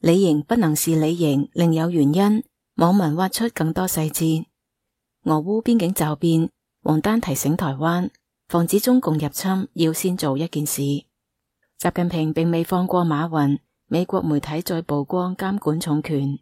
李瑩不能是李瑩，另有原因。網民挖出更多細節。俄烏邊境驟變，王丹提醒台灣，防止中共入侵要先做一件事。習近平並未放過馬雲，美國媒體再曝光監管重拳。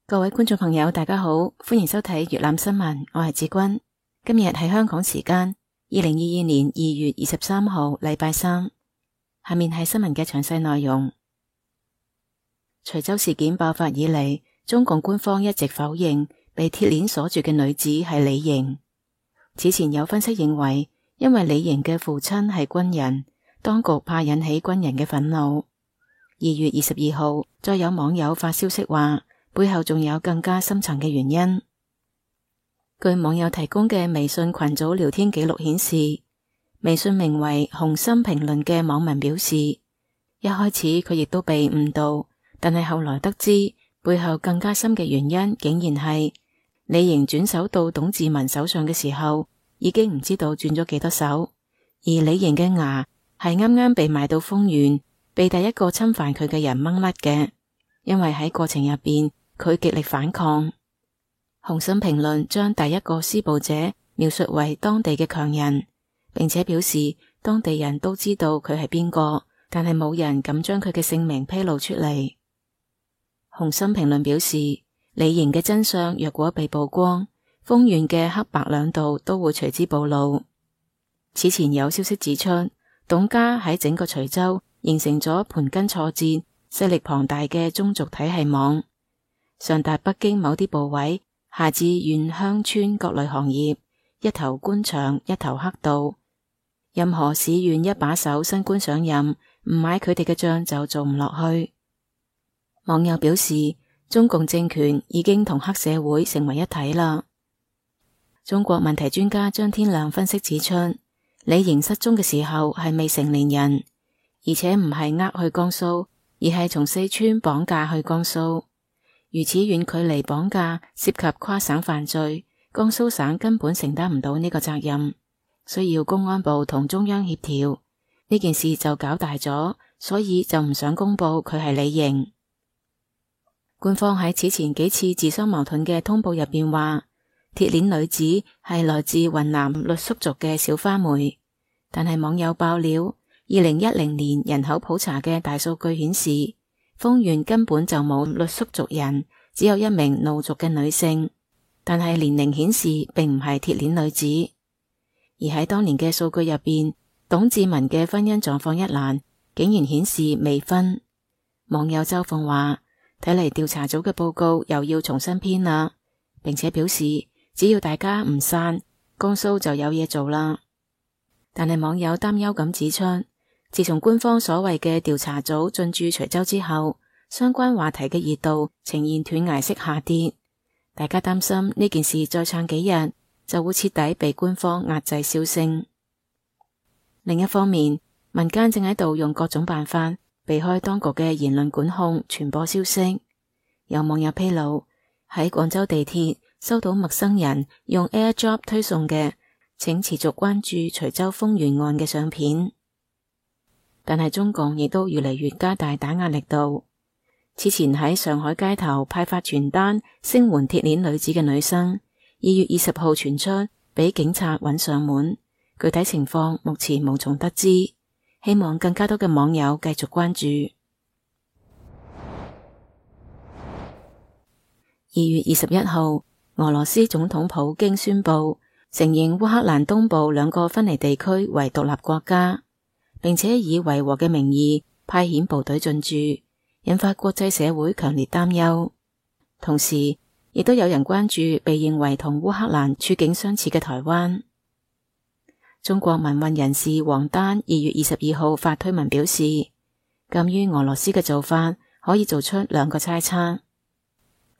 各位觀眾朋友大家好，歡迎收睇粵覽新聞，我係志君。今日係香港時間2022年2月23號禮拜三。下面係新聞嘅詳細內容。徐州事件爆發以嚟，中共官方一直否認被鐵鏈鎖住嘅女子係李瑩。此前有分析認為，因為李瑩嘅父親係軍人，當局怕引起軍人嘅憤怒。2月22號，再有網友發消息話，背後仲有更加深層嘅原因。據網友提供嘅微信群組聊天記錄顯示，微信名為紅心評論嘅網民表示，一開始佢亦都被誤導，但係後來得知背後更加深嘅原因，竟然係李瑩轉手到董志文手上嘅時候，已經唔知道轉咗幾多手，而李瑩嘅牙係啱啱被賣到豐原，被第一個侵犯佢嘅人掹甩嘅，因為喺過程入邊，佢極力反抗。紅心評論將第一個施暴者描述為當地嘅強人，並且表示當地人都知道佢係邊個，但係冇人敢將佢嘅姓名披露出嚟。紅心評論表示，李瑩嘅真相若果被曝光，豐原嘅黑白兩道都會隨之暴露。此前有消息指出，董家喺整個徐州形成咗盤根錯節、勢力龐大嘅宗族體系網，上達北京某啲部位，下至縣鄉村各類行業，一頭官場一頭黑道，任何市縣一把手新官上任，唔買佢哋嘅賬就做唔落去。網友表示，中共政權已經同黑社會成為一體啦。中國問題專家張天亮分析指出，李瑩失蹤嘅時候係未成年人，而且唔係去江蘇，而係從四川綁架去江蘇。如此遠距離綁架涉及跨省犯罪，江蘇省根本承擔唔到呢個責任，需要公安部同中央協調，呢件事就搞大咗，所以就唔想公布佢係李瑩。官方喺此前幾次自相矛盾嘅通報入邊話，鐵鏈女子係來自雲南傈僳族嘅小花梅，但係網友爆料，2010年人口普查嘅大數據顯示，豐原根本就冇傈僳族人，只有一名怒族嘅女性，但係年齡顯示並唔係鐵鏈女子。而喺當年嘅數據入邊，董志文嘅婚姻狀況一欄竟然顯示未婚。網友周鳳話，睇嚟調查組嘅報告又要重新編啦，並且表示只要大家唔散，江蘇就有嘢做啦。但係網友擔憂咁指出，自從官方所謂嘅調查組進駐徐州之後，相關話題嘅熱度呈現斷崖式下跌，大家擔心呢件事再撐幾日就會徹底被官方壓制銷聲。另一方面，民間正喺度用各種辦法避開當局嘅言論管控傳播消息。有網友披露，喺廣州地鐵收到陌生人用 AirDrop 推送嘅請持續關注徐州豐原案嘅相片。但係中共亦都越嚟越加大打壓力度。此前喺上海街頭派發傳單聲援鐵鏈女子嘅女生，2月20號傳出俾警察揾上門，具體情況目前無從得知，希望更加多嘅網友繼續關注。2月21號，俄羅斯總統普京宣布承認烏克蘭東部2個分離地區為獨立國家，並且以維和嘅名義派遣部隊進駐，引發國際社會強烈擔憂。同時，亦都有人關注被認為同烏克蘭處境相似嘅台灣。中國民運人士王丹2月22號發推文表示，鑒於俄羅斯嘅做法，可以做出2個猜測。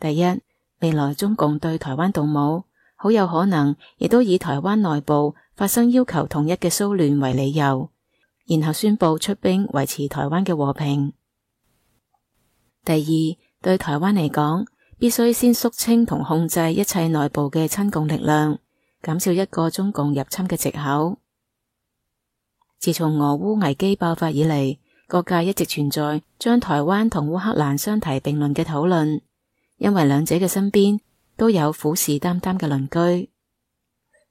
第一，未來中共對台灣動武，好有可能亦都以台灣內部發生要求統一嘅騷亂為理由，然後宣布出兵維持台灣嘅和平。第二，對台灣嚟講，必須先肅清同控制一切內部嘅親共力量，減少一個中共入侵嘅藉口。自從俄烏危機爆發以嚟，各界一直存在將台灣同烏克蘭相提並論嘅討論，因為兩者嘅身邊都有虎視眈眈嘅鄰居。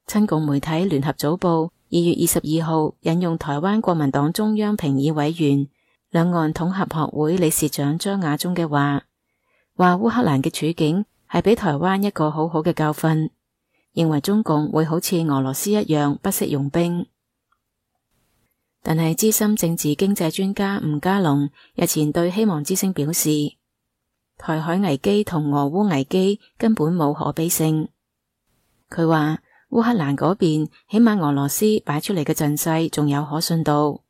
親共媒體聯合早報2月22號引用台灣國民黨中央評議委員、兩岸統合學會理事長張亞中嘅話烏克蘭嘅處境係俾台灣一個好好嘅教訓，認為中共會好似俄羅斯一樣不惜用兵。但係資深政治經濟專家吳家龍日前對希望之聲表示，台海危機同俄烏危機根本冇可比性。佢話烏克蘭嗰邊起碼俄羅斯擺出嚟嘅陣勢仲有可信度，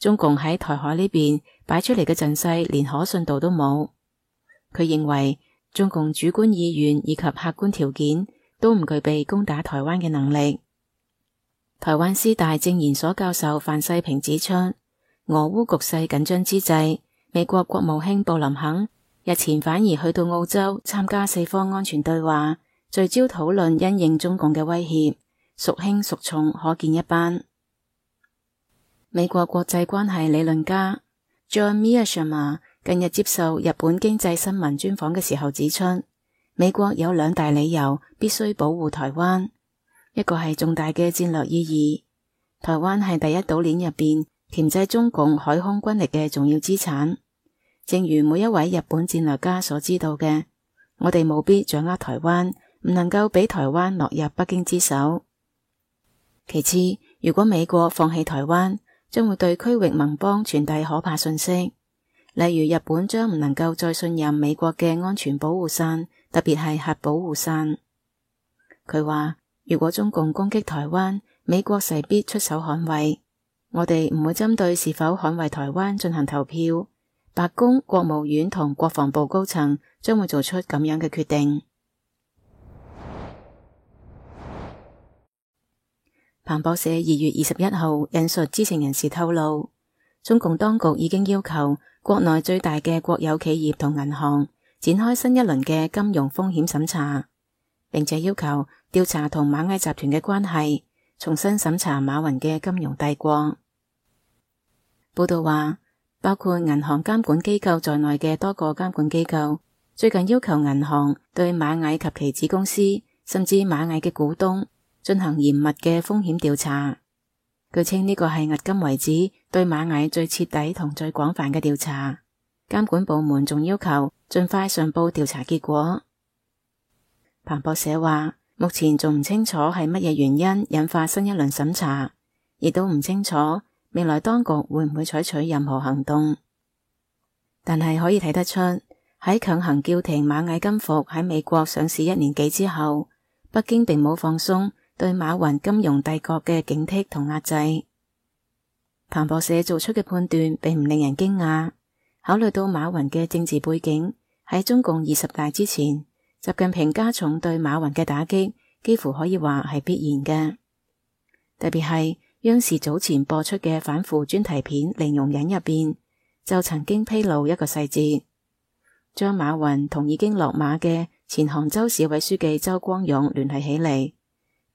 中共喺台海呢邊擺出嚟嘅陣勢連可信度都冇。佢認為中共主觀意願以及客觀條件都唔具備攻打台灣嘅能力。台灣師大正研所教授范世平指出，俄烏局勢緊張之際，美國國務卿布林肯日前反而去到澳洲參加四方安全對話，聚焦討論因應中共嘅威脅，孰輕孰重可見一斑。美國國際關係理論家 John Mearsheimer 近日接受日本經濟新聞專訪嘅時候指出，美國有兩大理由必須保護台灣。一個係重大嘅戰略意義，台灣係第一島鏈入邊鉗制中共海空軍力嘅重要資產。正如每一位日本戰略家所知道嘅，我哋務必掌握台灣，唔能夠俾台灣落入北京之手。其次，如果美國放棄台灣，將會對區域盟邦傳遞可怕信息，例如日本將唔能夠再信任美國嘅安全保護傘，特別係核保護傘。佢話，如果中共攻擊台灣，美國勢必出手捍衛。我哋唔會針對是否捍衛台灣進行投票，白宮、國務院同國防部高層將會做出咁樣嘅決定。彭博社2月21號引述知情人士透露，中共當局已經要求國內最大嘅國有企業同銀行展開新一輪嘅金融風險審查，並且要求調查同螞蟻集團嘅關係，重新審查馬雲嘅金融帝國。報道話，包括銀行監管機構在內嘅多個監管機構，最近要求銀行對螞蟻及其子公司，甚至螞蟻嘅股東進行嚴密嘅風險調查。據稱呢個係迄今為止對螞蟻最徹底同最廣泛嘅調查。監管部門仲要求盡快上報調查結果。彭博社話，目前仲唔清楚係乜嘢原因引發新一輪審查，亦都唔清楚未來當局會唔會採取任何行動。但係可以睇得出，喺強行叫停螞蟻金服喺美國上市1年幾之後，北京並冇放鬆對馬雲金融帝國嘅警惕同壓制。彭博社做出嘅判斷並唔令人驚訝，考慮到馬雲嘅政治背景，喺中共20大之前，習近平加重對馬雲嘅打擊，幾乎可以話係必然嘅。特別係央視早前播出嘅反腐專題片《零容忍》入邊，就曾經披露一個細節，將馬雲同已經落馬嘅前杭州市委書記周光勇聯繫起嚟，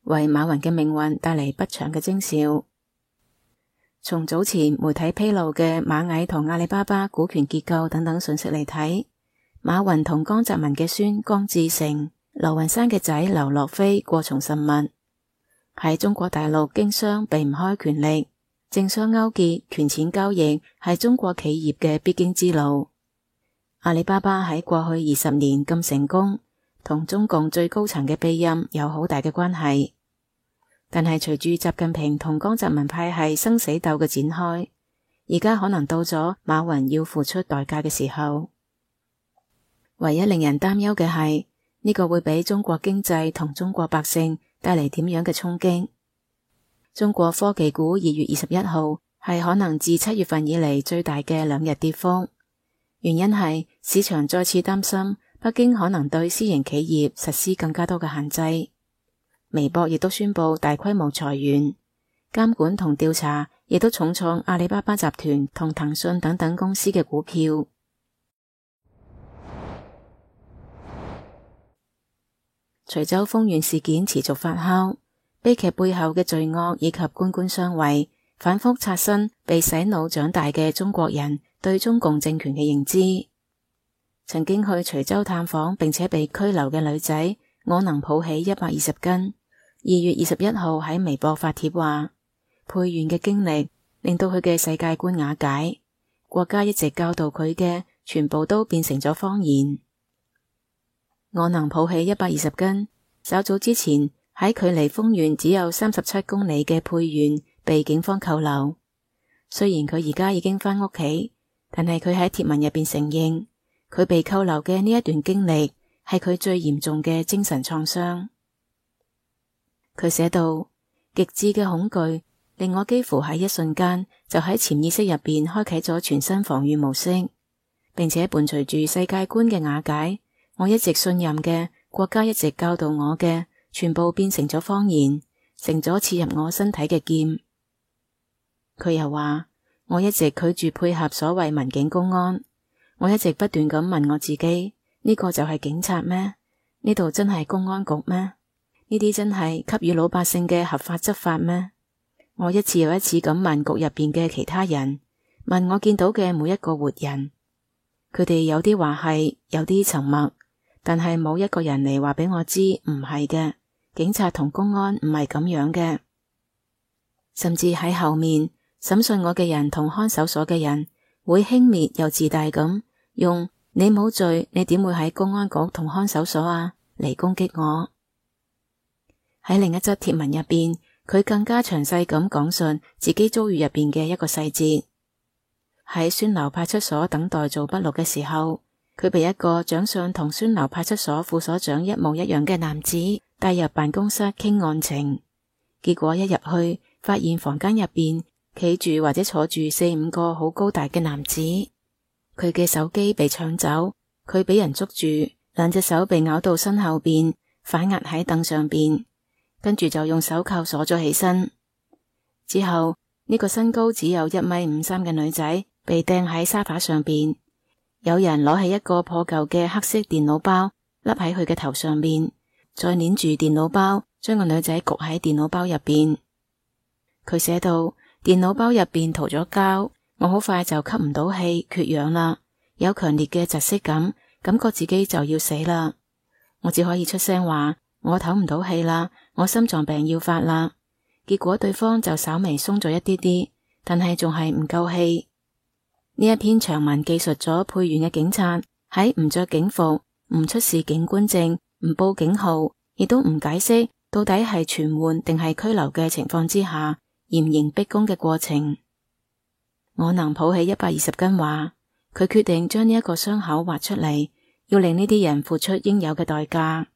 為馬雲嘅命運帶嚟不祥嘅徵兆。從早前媒體披露嘅螞蟻同阿里巴巴股權結構等等信息嚟睇，馬雲同江澤民嘅孫江志成、劉雲山嘅仔劉樂飛過從甚密，喺中國大陸經商避唔開權力，政商勾結、權錢交易係中國企業嘅必經之路。阿里巴巴喺過去20年咁成功，同中共最高層嘅庇蔭有好大嘅關係。但係隨住習近平同江澤民派系生死鬥嘅展開，而家可能到咗馬雲要付出代價嘅時候。唯一令人擔憂嘅係呢個會俾中國經濟同中國百姓帶嚟點樣嘅衝擊。中國科技股2月21號係可能自7月份以嚟最大嘅2日跌幅，原因係市場再次擔心北京可能對私營企業實施更加多嘅限制。微博亦都宣布大規模裁員，監管同調查亦都重創阿里巴巴集團同騰訊等等公司嘅股票。徐州豐縣事件持續發酵，悲劇背後嘅罪惡以及官官相衛，反覆刷新被洗腦長大嘅中國人對中共政權嘅認知。曾經去徐州探訪並且被拘留嘅女仔，我能抱起120斤。2月21號喺微博發帖話，佩縣嘅經歷令到佢嘅世界觀瓦解，國家一直教導佢嘅全部都變成咗謊言。我能抱起120斤，稍早之前喺距離豐縣只有37公里嘅佩縣被警方扣留。雖然佢而家已經返屋企，但係佢喺帖文入邊承認，佢被扣留嘅呢一段經歷係佢最嚴重嘅精神創傷。佢寫道，極致嘅恐懼令我幾乎喺一瞬間就喺潛意識入邊開啟咗全新防禦模式，並且伴隨住世界觀嘅瓦解，我一直信任嘅國家一直教導我嘅全部變成咗謊言，成咗刺入我身體嘅劍。佢又話，我一直拒絕配合所謂民警公安，我一直不斷咁問我自己，呢個就係警察咩？呢度真係公安局咩？呢啲真係給予老百姓嘅合法執法咩？我一次又一次咁問局入邊嘅其他人，問我見到嘅每一個活人，佢哋有啲話係，有啲沉默，但係冇一個人嚟話俾我知唔係嘅，警察同公安唔係咁樣嘅。甚至喺後面審訊我嘅人同看守所嘅人，會輕蔑又自大咁用你冇罪，你點會喺公安局同看守所啊嚟攻擊我。喺另一則帖文入邊，佢更加詳細咁講述自己遭遇入邊嘅一個細節。喺宣樓派出所等待做筆錄嘅時候，佢被一個長相同宣樓派出所副所長一模一樣嘅男子帶入辦公室傾案情。結果一入去，發現房間入邊企住或者坐住4-5個好高大嘅男子。佢嘅手機被搶走，佢俾人捉住，2隻手被咬到身後邊，反壓喺凳上邊。跟住就用手銬鎖咗起身。之後呢個身高只有1.53米嘅女仔被掟喺沙發上邊，有人攞起一個破舊嘅黑色電腦包笠喺佢嘅頭上面，再捏住電腦包，將個女仔焗喺電腦包入邊。佢寫到，電腦包入邊塗咗膠，我好快就吸唔到氣，缺氧啦，有強烈嘅窒息感，感覺自己就要死啦。我只可以出聲話，我唞唔到氣啦，我心臟病要發啦。結果對方就稍微鬆咗一啲啲，但係仲係唔夠氣。呢一篇長文記述咗佩縣嘅警察喺唔着警服、唔出示警官證、唔報警號，亦都唔解釋到底係傳喚定係拘留嘅情況之下，嚴刑逼供嘅過程。我能抱起120斤話，佢決定將呢一個傷口挖出嚟，要令呢啲人付出應有嘅代價。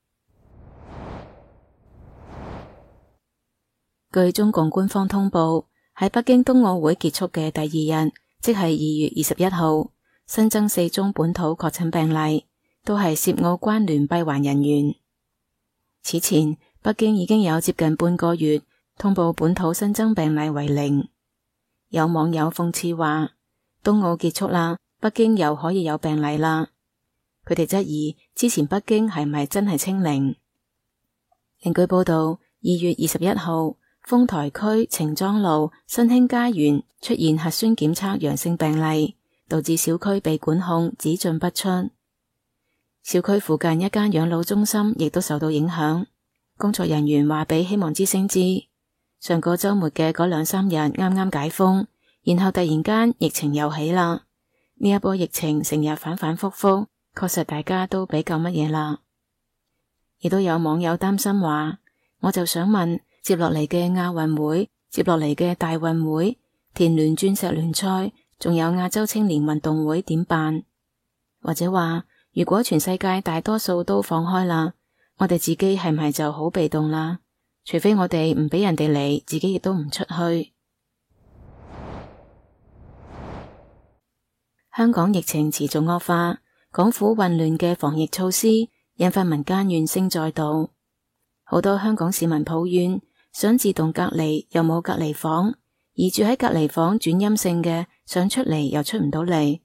據中共官方通報，喺北京冬奧會結束嘅第2日，即係2月21號，新增4宗本土確診病例，都係涉奧關聯閉環人員。此前，北京已經有接近半個月通報本土新增病例為0。有網友諷刺話，冬奧結束啦，北京又可以有病例啦。佢哋質疑之前北京係咪真係清零。另據報道，2月21號，豐台區程莊路新興家園出現核酸檢測陽性病例，導致小區被管控，只進不出。小區附近一間養老中心亦都受到影響。工作人員話俾希望之聲知，上個週末嘅嗰2-3日啱啱解封，然後突然間疫情又起啦。呢一波疫情成日反反复复，確實大家都比較乜嘢啦。亦都有網友擔心話，我就想問，接落嚟嘅亞運會，接落嚟嘅大運會，田聯鑽石聯賽，仲有亞洲青年運動會點辦？或者話，如果全世界大多數都放開啦，我哋自己係咪就好被動啦？除非我哋唔俾人哋嚟，自己亦都唔出去。香港疫情持續惡化，港府混亂嘅防疫措施引發民間怨聲載道，好多香港市民抱怨想自動隔離又冇隔離房，而住喺隔離房轉陰性嘅想出嚟又出唔到嚟，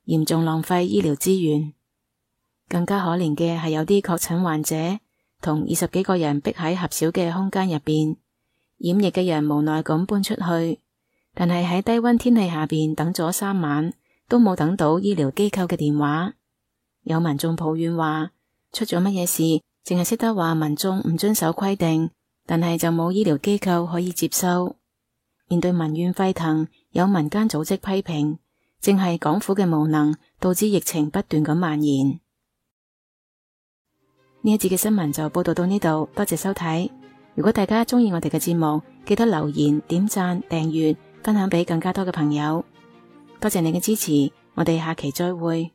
嚴重浪費醫療資源。更加可憐嘅係有啲確診患者同20幾個人逼喺狹小嘅空間入邊，染疫嘅人無奈咁搬出去，但係喺低溫天氣下邊等咗3晚，都冇等到醫療機構嘅電話。有民眾抱怨話，出咗乜嘢事，淨係識得話民眾唔遵守規定，但係就冇醫療機構可以接收。面對民怨沸騰，有民間組織批評，正係港府嘅無能，導致疫情不斷咁蔓延。呢一節嘅新聞就報道到呢度，多謝收睇。如果大家鍾意我哋嘅節目，記得留言、點讚、訂閱、分享俾更加多嘅朋友。多謝你嘅支持，我哋下期再會。